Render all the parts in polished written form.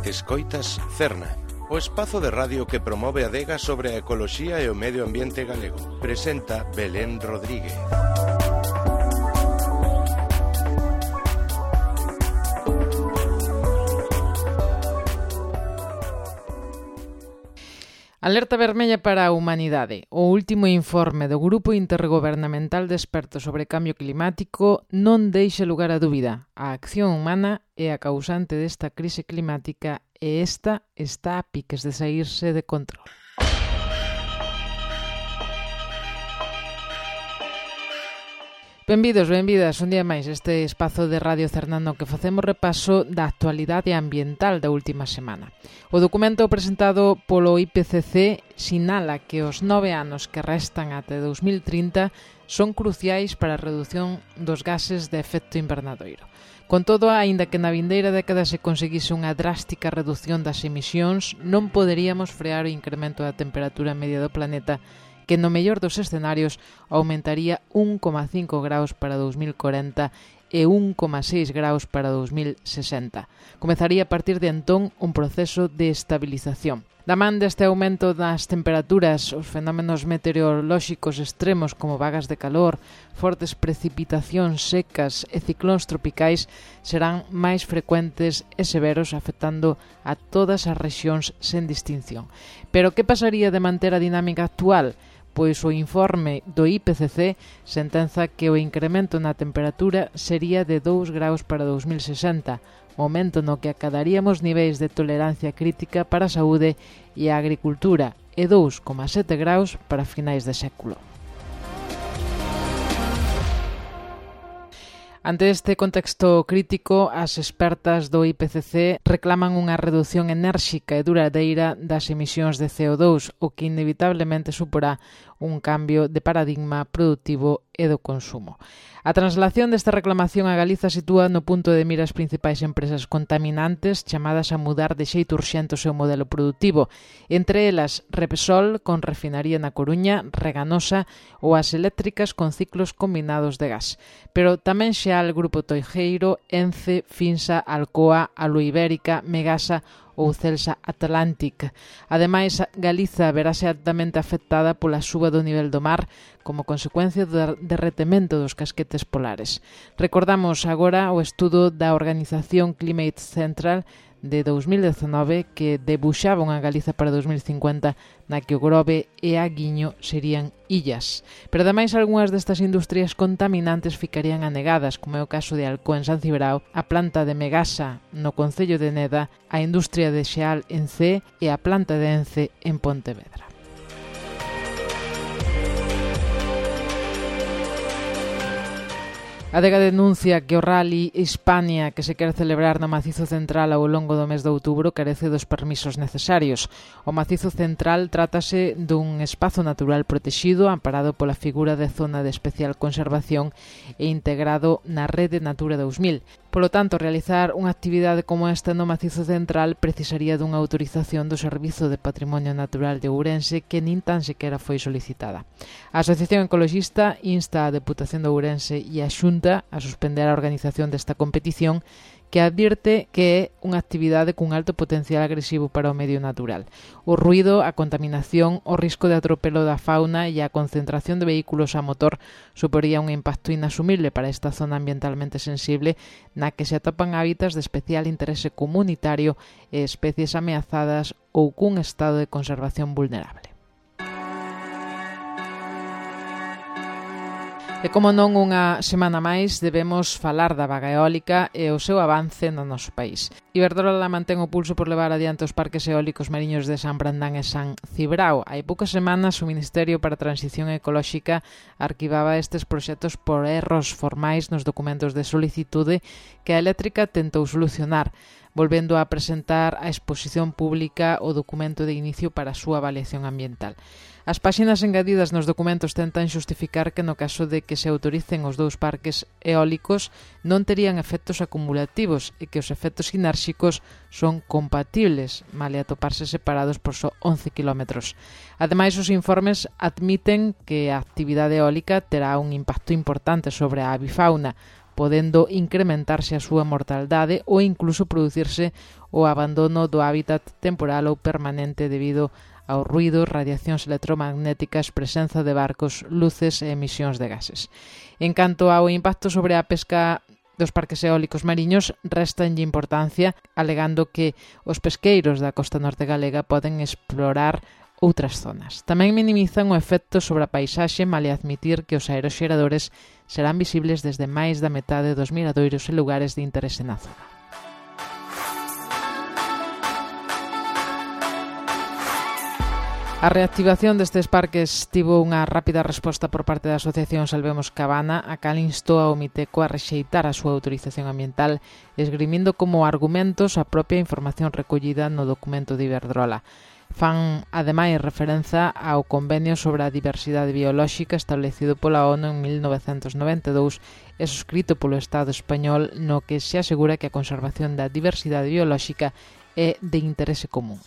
Escoitas Cerna, o espazo de radio que promove a adega sobre a ecoloxía e o medio ambiente galego. Presenta Belén Rodríguez. Alerta vermella para a humanidade. O último informe do Grupo Intergobernamental de Expertos sobre Cambio Climático non deixa lugar a dúbida. A acción humana é a causante desta crise climática e esta está a piques de saírse de control. Benvidos, benvidas, un día máis este espazo de Radio Cerna no que facemos repaso da actualidade ambiental da última semana. O documento presentado polo IPCC sinala que os 9 anos que restan até 2030 son cruciais para a redución dos gases de efecto invernadoiro. Con todo, aínda que na vindeira década se conseguise unha drástica reducción das emisións, non poderíamos frear o incremento da temperatura media do planeta, que no mellor dos escenarios aumentaría 1,5 graus para 2040 e 1,6 graus para 2060. Comezaría a partir de entón un proceso de estabilización. Da man deste aumento das temperaturas, os fenómenos meteorolóxicos extremos como vagas de calor, fortes precipitacións secas e ciclóns tropicais serán máis frecuentes e severos, afectando a todas as rexións sen distinción. Pero que pasaría de manter a dinámica actual? Pois o informe do IPCC sentenza que o incremento na temperatura sería de 2 graus para 2060, momento no que acadaríamos niveis de tolerancia crítica para a saúde e a agricultura e 2,7 graus para finais de século. Ante este contexto crítico, as expertas do IPCC reclaman unha reducción enérxica e duradeira das emisións de CO2, o que inevitablemente suporá un cambio de paradigma productivo e do consumo. A translación desta reclamación a Galiza sitúa no punto de mira as principais empresas contaminantes chamadas a mudar de xeito urxente o seu modelo productivo, entre elas Repsol, con refinaría na Coruña, Reganosa ou as eléctricas con ciclos combinados de gas. Pero tamén Xeal, Grupo Toijeiro, Ence, Finsa, Alcoa, Aluibérica, Megasa ou Celsa Atlantic. Ademais, Galiza verase altamente afectada pola suba do nivel do mar como consecuencia do derretemento dos casquetes polares. Recordamos agora o estudo da organización Climate Central de 2019 que debuxaba unha Galiza para 2050 na que o Grove e a Guiño serían illas. Pero ademais algunhas destas industrias contaminantes ficarían anegadas, como é o caso de Alcoa en San Cibrao, a planta de Megasa no concello de Neda, a industria de Xeal en Cee e a planta de Ence en Pontevedra. A adega denuncia que o Rally Hispania que se quere celebrar no Macizo Central ao longo do mes de outubro carece dos permisos necesarios. O Macizo Central trátase dun espazo natural protexido amparado pola figura de zona de especial conservación e integrado na Rede Natura 2000. Polo tanto, realizar unha actividade como esta no Macizo Central precisaría dunha autorización do Servizo de Patrimonio Natural de Ourense que nin tan sequera foi solicitada. A Asociación Ecologista insta a Deputación de Ourense e a Xunta a suspender a organización desta competición que advirte que é unha actividade cun alto potencial agresivo para o medio natural. O ruído, a contaminación, o risco de atropelo da fauna e a concentración de vehículos a motor suporía un impacto inasumible para esta zona ambientalmente sensible na que se atopan hábitats de especial interese comunitario e especies ameazadas ou cun estado de conservación vulnerable. E como non unha semana máis debemos falar da vaga eólica e o seu avance no noso país. Iberdrola mantén o pulso por levar adiante os parques eólicos mariños de San Brandán e San Cibrao. Hai poucas semanas o Ministerio para a Transición Ecolóxica arquivaba estes proxectos por erros formais nos documentos de solicitude que a eléctrica tentou solucionar, volvendo a presentar a exposición pública o documento de inicio para a súa avaliación ambiental. As páxinas engadidas nos documentos tentan xustificar que no caso de que se autoricen os dous parques eólicos non terían efectos acumulativos e que os efectos sinérxicos son compatibles, male atoparse separados por só 11 kilómetros. Ademais, os informes admiten que a actividade eólica terá un impacto importante sobre a avifauna, podendo incrementarse a súa mortalidade ou incluso producirse o abandono do hábitat temporal ou permanente debido ao ruído, radiacións electromagnéticas, presenza de barcos, luces e emisións de gases. En canto ao impacto sobre a pesca dos parques eólicos mariños, restanlle importancia, alegando que os pesqueiros da costa norte galega poden explorar outras zonas. Tamén minimizan o efecto sobre a paisaxe, malia admitir que os aeroxeradores serán visibles desde máis da metade dos miradoiros e lugares de interese na zona. A reactivación destes parques tivo unha rápida resposta por parte da Asociación Salvemos Cabana, a cal instou ao Miteco a rexeitar a súa autorización ambiental, esgrimindo como argumentos a propia información recollida no documento de Iberdrola. Fan, ademais, referenza ao convenio sobre a diversidade biolóxica establecido pola ONU en 1992 e suscrito polo Estado español, no que se asegura que a conservación da diversidade biolóxica é de interese común.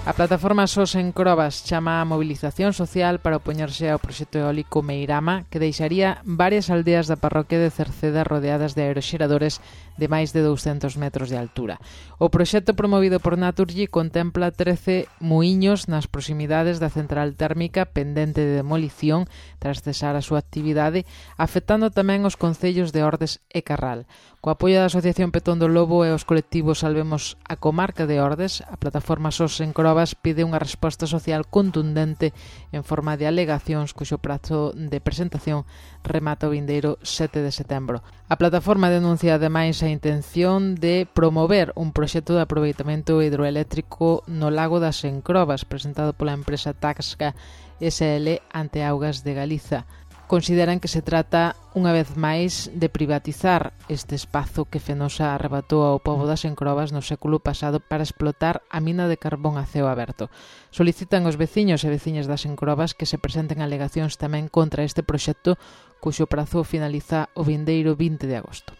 A plataforma SOS en Crobas chama a mobilización social para opoñerse ao proxecto eólico Meirama, que deixaría varias aldeas da parroquia de Cerceda rodeadas de aeroxeradores de máis de 200 metros de altura. O proxecto promovido por Naturgy contempla 13 muiños nas proximidades da central térmica pendente de demolición tras cesar a súa actividade, afectando tamén os concellos de Ordes e Carral. Co apoio da Asociación Petón do Lobo e os colectivos Salvemos a Comarca de Ordes, a plataforma SOS en Crobas pide unha resposta social contundente en forma de alegacións cuxo prazo de presentación remata o vindeiro 7 de setembro. A plataforma denuncia ademais a intención de promover un proxecto de aproveitamento hidroeléctrico no lago das Encrobas presentado pola empresa Taxca SL ante Augas de Galiza. Consideran que se trata, unha vez máis, de privatizar este espazo que Fenosa arrebatou ao pobo das Encrobas no século pasado para explotar a mina de carbón a ceo aberto. Solicitan aos veciños e veciñas das Encrobas que se presenten alegacións tamén contra este proxecto, cuxo prazo finaliza o vindeiro 20 de agosto.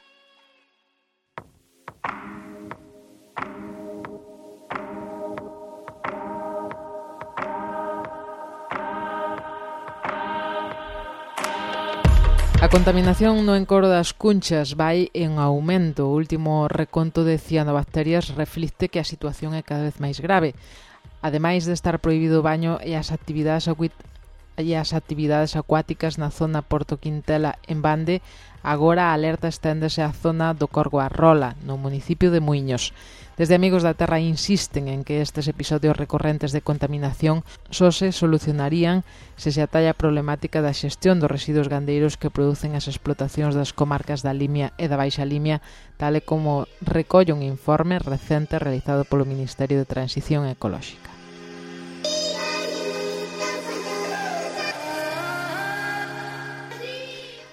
A contaminación no encoro das Cunchas vai en aumento. O último reconto de cianobacterias reflicte que a situación é cada vez máis grave. Ademais de estar prohibido o baño e as actividades acuáticas na zona Porto Quintela en Bande, agora a alerta esténdese á zona do Corgo Arrola, no municipio de Muiños. Desde Amigos da Terra insisten en que estes episodios recorrentes de contaminación só se solucionarían se se atalla a problemática da xestión dos residuos gandeiros que producen as explotacións das comarcas da Limia e da Baixa Limia, tal e como recolle un informe recente realizado polo Ministerio de Transición Ecolóxica.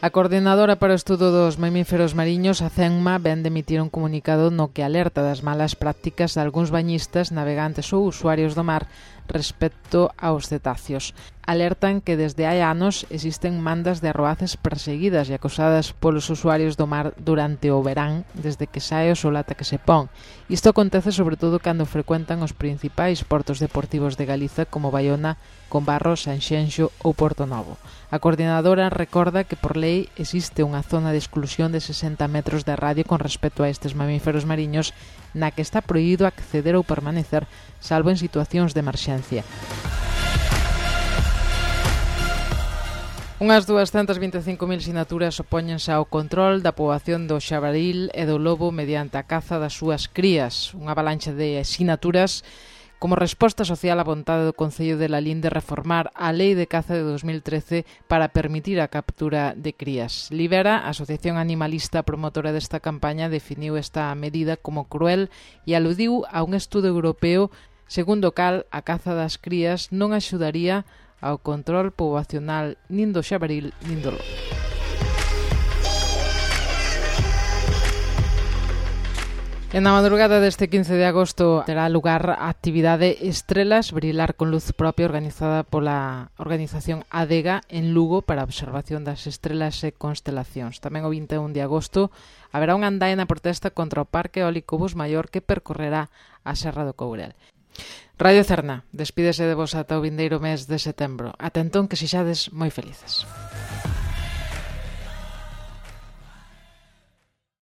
A Coordinadora para o Estudo dos Mamíferos Mariños, a CENMA, vén de emitir un comunicado no que alerta das malas prácticas de algúns bañistas, navegantes ou usuarios do mar respecto aos cetáceos. Alertan que desde hai anos existen mandas de arroaces perseguidas e acosadas polos usuarios do mar durante o verán, desde que sae o sol ata que se pon. Isto acontece sobre todo cando frecuentan os principais portos deportivos de Galiza como Baiona, Combarro, Sanxenxo ou Porto Novo. A Coordinadora recorda que por lei existe unha zona de exclusión de 60 metros de radio con respecto a estes mamíferos mariños na que está prohibido acceder ou permanecer salvo en situacións de emerxencia. Unhas 225.000 sinaturas opóñense ao control da poboación do xabaril e do lobo mediante a caza das súas crías. Unha avalancha de sinaturas como resposta social á vontade do Concello de Lalín de reformar a Lei de Caza de 2013 para permitir a captura de crías. Libera, a asociación animalista promotora desta campaña, definiu esta medida como cruel e aludiu a un estudo europeo segundo o cal a caza das crías non axudaría ao control poboacional nin do xabaril nin do lobo. E na madrugada deste 15 de agosto terá lugar a actividade Estrelas Brilar con Luz Propia organizada pola organización ADEGA en Lugo para a observación das estrelas e constelacións. Tamén o 21 de agosto haberá unha andaina protesta contra o Parque Eólico Bus Maior que percorrerá a Serra do Courel. Radio Cerna, despídese de vos ata o vindeiro mes de setembro. Ata entón que sexades moi felices.